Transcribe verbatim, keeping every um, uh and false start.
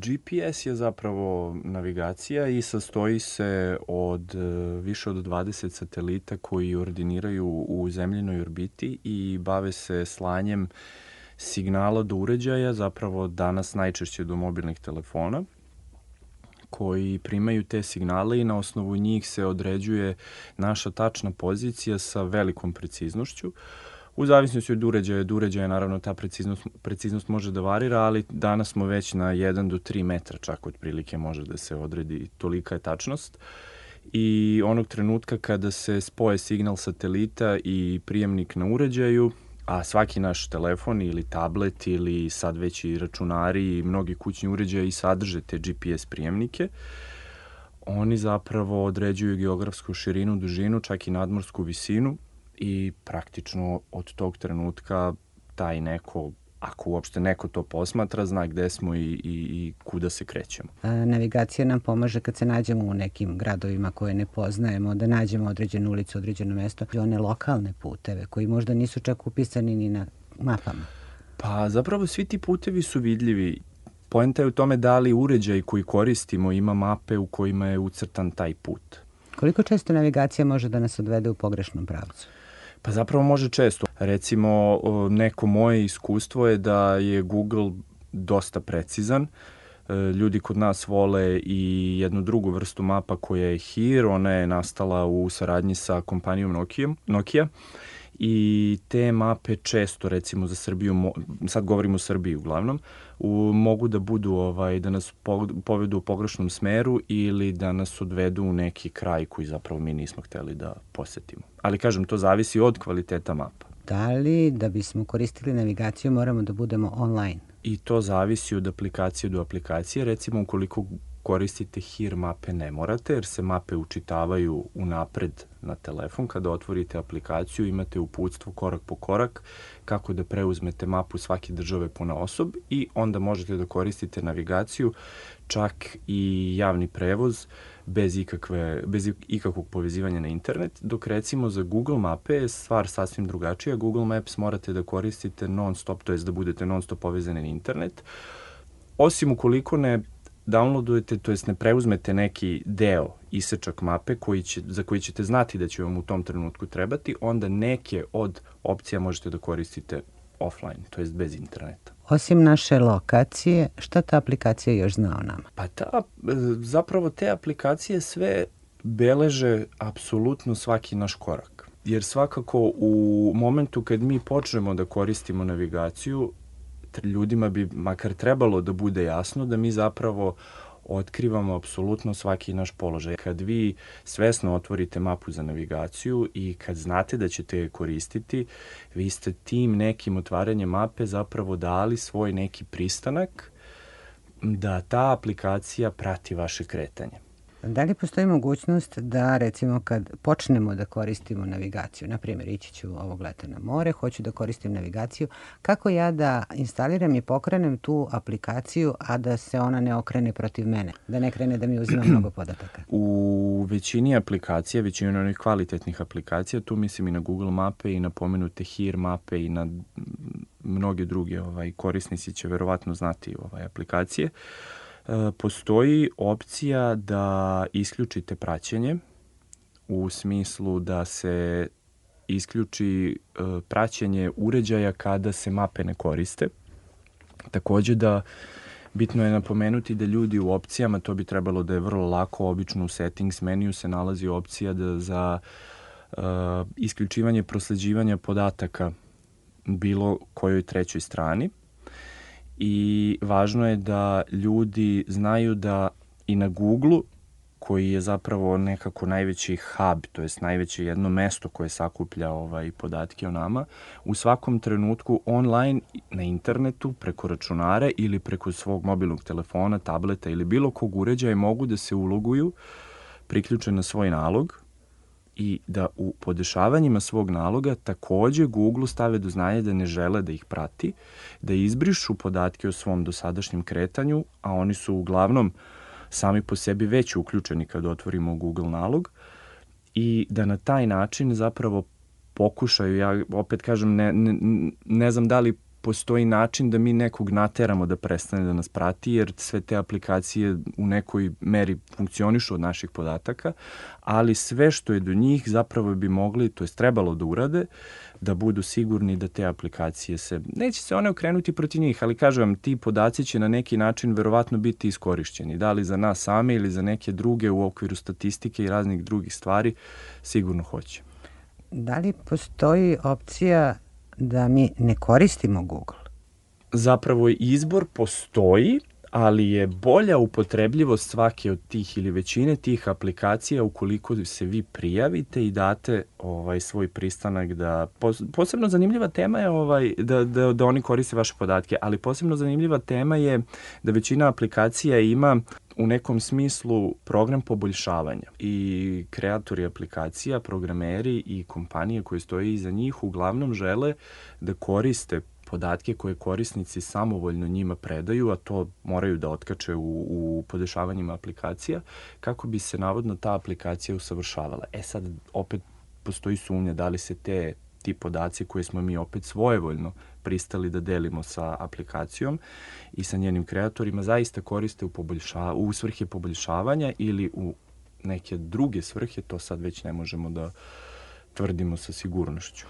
G P S je zapravo navigacija i sastoji se od više od dvadeset satelita koji ordiniraju u zemljinoj orbiti i bave se slanjem signala do uređaja, zapravo danas najčešće do mobilnih telefona, koji primaju te signale i na osnovu njih se određuje naša tačna pozicija sa velikom preciznošću. U zavisnosti od uređaja, od uređaja naravno ta preciznost, preciznost može da varira, ali danas smo već na jedan do tri metra, čak otprilike može da se odredi, tolika je tačnost. I onog trenutka kada se spoje signal satelita i prijemnik na uređaju, a svaki naš telefon ili tablet ili sad već i računari i mnogi kućni uređaji sadrže te G P S prijemnike, oni zapravo određuju geografsku širinu, dužinu, čak i nadmorsku visinu i praktično od tog trenutka taj neko, ako uopšte neko to posmatra, zna gde smo i, i, i kuda se krećemo. A, navigacija nam pomaže kad se nađemo u nekim gradovima koje ne poznajemo, da nađemo određenu ulicu, određeno mesto, i one lokalne puteve koji možda nisu čak upisani ni na mapama. Pa zapravo svi ti putevi su vidljivi. Poenta je u tome da li uređaj koji koristimo ima mape u kojima je ucrtan taj put. Koliko često navigacija može da nas odvede u pogrešnom pravcu? Pa zapravo može često. Recimo, neko moje iskustvo je da je Google dosta precizan. Ljudi kod nas vole i jednu drugu vrstu mapa koja je H I R. Ona je nastala u saradnji sa kompanijom Nokia. Nokia. I te mape često, recimo za Srbiju, sad govorimo o Srbiji uglavnom, u, mogu da budu, ovaj, da nas po, povedu u pogrešnom smeru ili da nas odvedu u neki kraj koji zapravo mi nismo hteli da posetimo. Ali kažem, to zavisi od kvaliteta mapa. Da li da bismo koristili navigaciju moramo da budemo online? I to zavisi od aplikacije do aplikacije. Recimo, ukoliko koristite H I R mape ne morate, jer se mape učitavaju unapred na telefon. Kada otvorite aplikaciju imate uputstvo korak po korak kako da preuzmete mapu svake države ponaosob i onda možete da koristite navigaciju, čak i javni prevoz bez, ikakve, bez ikakvog povezivanja na internet, dok recimo za Google mape je stvar sasvim drugačija. Google Maps morate da koristite non stop, to jest da budete non stop povezani na internet, osim ukoliko ne downloadujete, to jest ne preuzmete neki deo isečak mape koji će, za koji ćete znati da će vam u tom trenutku trebati, onda neke od opcija možete da koristite offline, to jest bez interneta. Osim naše lokacije, šta ta aplikacija još zna o nama? Pa ta, zapravo te aplikacije sve beleže apsolutno svaki naš korak. Jer svakako u momentu kad mi počnemo da koristimo navigaciju, ljudima bi makar trebalo da bude jasno da mi zapravo otkrivamo apsolutno svaki naš položaj. Kad vi svesno otvorite mapu za navigaciju i kad znate da ćete je koristiti, vi ste tim nekim otvaranjem mape zapravo dali svoj neki pristanak da ta aplikacija prati vaše kretanje. Da li postoji mogućnost da, recimo, kad počnemo da koristimo navigaciju, na primjer, ići ću ovog leta na more, hoću da koristim navigaciju, kako ja da instaliram i pokrenem tu aplikaciju, a da se ona ne okrene protiv mene, da ne krene da mi uzima mnogo podataka? U većini aplikacija, većini onih kvalitetnih aplikacija, tu mislim i na Google mape i na pomenute H I R mape i na mnoge druge ovaj, korisnici će verovatno znati ovaj, aplikacije, postoji opcija da isključite praćenje u smislu da se isključi praćenje uređaja kada se mape ne koriste. Takođe da bitno je napomenuti da ljudi u opcijama, to bi trebalo da je vrlo lako, obično u settings meniju se nalazi opcija da za uh, isključivanje prosleđivanja podataka bilo kojoj trećoj strani. I važno je da ljudi znaju da i na Google-u, koji je zapravo nekako najveći hub, to jest najveće jedno mesto koje sakuplja ovaj, podatke o nama, u svakom trenutku online na internetu, preko računara ili preko svog mobilnog telefona, tableta ili bilo kog uređaja mogu da se uloguju, priključe na svoj nalog i da u podešavanjima svog naloga takođe Google stave do znanja da ne žele da ih prati, da izbrišu podatke o svom dosadašnjem kretanju, a oni su uglavnom sami po sebi već uključeni kad otvorimo Google nalog, i da na taj način zapravo pokušaju, ja opet kažem, ne, ne, ne znam da li postoji način da mi nekog nateramo da prestane da nas prati, jer sve te aplikacije u nekoj meri funkcionišu od naših podataka, ali sve što je do njih zapravo bi mogli, to je trebalo da urade, da budu sigurni da te aplikacije se, neće se one okrenuti protiv njih, ali kažem vam, ti podaci će na neki način verovatno biti iskorišćeni, da li za nas same ili za neke druge u okviru statistike i raznih drugih stvari, sigurno hoće. Da li postoji opcija da mi ne koristimo Google? Zapravo izbor postoji, ali je bolja upotrebljivost svake od tih ili većine tih aplikacija ukoliko se vi prijavite i date ovaj svoj pristanak da posebno zanimljiva tema je ovaj da da da oni koriste vaše podatke, ali posebno zanimljiva tema je da većina aplikacija ima u nekom smislu program poboljšavanja i kreatori aplikacija, programeri i kompanije koje stoje iza njih uglavnom žele da koriste podatke koje korisnici samovoljno njima predaju, a to moraju da otkače u, u podešavanjima aplikacija, kako bi se navodno ta aplikacija usavršavala. E sad, opet postoji sumnja da li se te ti podaci koje smo mi opet svojevoljno pristali da delimo sa aplikacijom i sa njenim kreatorima zaista koriste u, poboljša, u svrhe poboljšavanja ili u neke druge svrhe, to sad već ne možemo da tvrdimo sa sigurnošću.